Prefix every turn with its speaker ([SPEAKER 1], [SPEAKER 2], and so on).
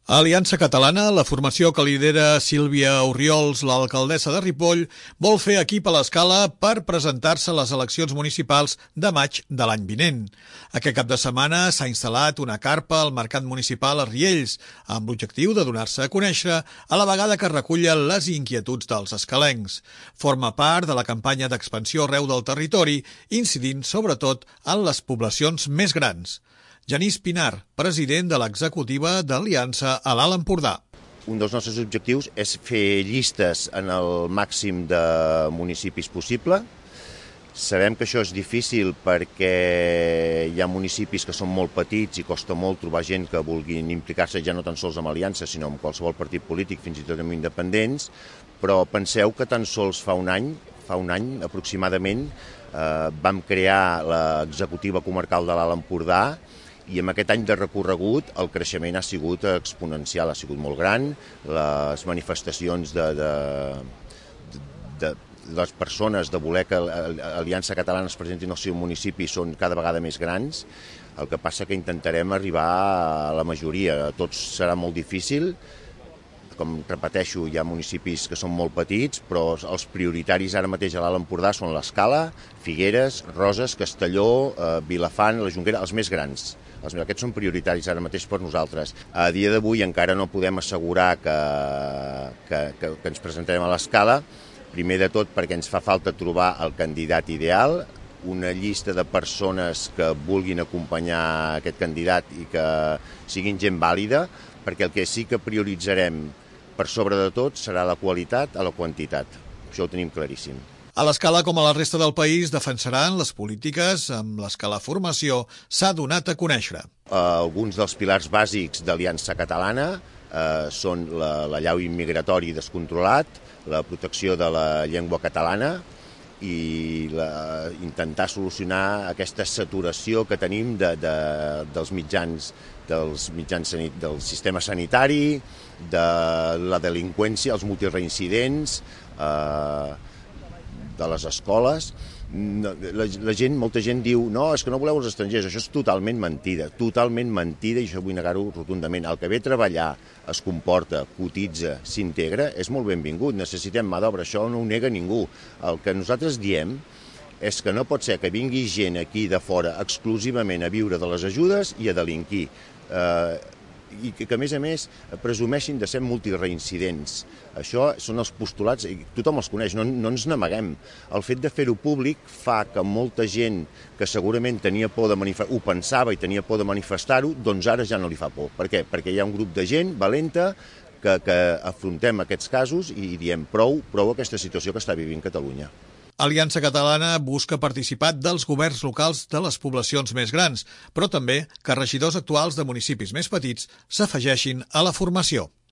[SPEAKER 1] A Aliança Catalana, la formació que lidera Sílvia Orriols, l'alcaldessa de Ripoll, vol fer equip a l'Escala per presentar-se a les eleccions municipals de maig de l'any vinent. Aquest cap de setmana s'ha instal·lat una carpa al Mercat Municipal a Riells, amb l'objectiu de donar-se a conèixer a la vegada que recullen les inquietuds dels escalencs. Forma part de la campanya d'expansió arreu del territori, incidint sobretot en les poblacions més grans. Genís Pinar, president de l'executiva d'Aliança a l'Alt Empordà.
[SPEAKER 2] Un dels nostres objectius és fer llistes en el màxim de municipis possible. Sabem que això és difícil perquè hi ha municipis que són molt petits i costa molt trobar gent que vulguin implicar-se ja no tan sols amb Aliança, sinó amb qualsevol partit polític, fins i tot amb independents, però penseu que tan sols fa un any aproximadament, vam crear l'executiva comarcal de l'Alt Empordà, i amb aquest any de recorregut el creixement ha sigut exponencial, ha sigut molt gran. Les manifestacions de les persones de voler que l'Aliança Catalana es presenti en el seu municipi són cada vegada més grans. El que passa que intentarem arribar a la majoria. A tots serà molt difícil. Com repeteixo, hi ha municipis que són molt petits, però els prioritaris ara mateix a l'Alt Empordà són l'Escala, Figueres, Roses, Castelló, Vilafant, la Jonquera, els més grans. Aquests són prioritaris ara mateix per nosaltres. A dia d'avui encara no podem assegurar que ens presentarem a l'Escala, primer de tot perquè ens fa falta trobar el candidat ideal, una llista de persones que vulguin acompanyar aquest candidat i que siguin gent vàlida, perquè el que sí que prioritzarem per sobre de tot serà la qualitat a la quantitat. Això ho tenim claríssim.
[SPEAKER 1] A l'Escala, com a la resta del país, defensaran les polítiques amb les que la formació s'ha donat a conèixer.
[SPEAKER 2] Alguns dels pilars bàsics d'Aliança Catalana són l'allau immigratori descontrolat, la protecció de la llengua catalana i intentar solucionar aquesta saturació que tenim dels mitjans del sistema sanitari, de la delinqüència, els multireincidents, de les escoles. Molta gent diu no, és que no voleu els estrangers. Això és totalment mentida, i això vull negar-ho rotundament. El que ve a treballar es comporta, cotitza, s'integra, és molt benvingut. Necessitem mà d'obra, això no ho nega ningú. El que nosaltres diem és que no pot ser que vingui gent aquí de fora exclusivament a viure de les ajudes i a delinquir. I que, a més, presumeixin de ser multireincidents. Això són els postulats, i tothom els coneix, no ens n'amaguem. El fet de fer-ho públic fa que molta gent que segurament tenia por de manifestar, ho pensava i tenia por de manifestar-ho, doncs ara ja no li fa por. Per què? Perquè hi ha un grup de gent valenta que afrontem aquests casos i diem prou aquesta situació que està vivint Catalunya.
[SPEAKER 1] Aliança Catalana busca participar dels governs locals de les poblacions més grans, però també que regidors actuals de municipis més petits s'afegeixin a la formació.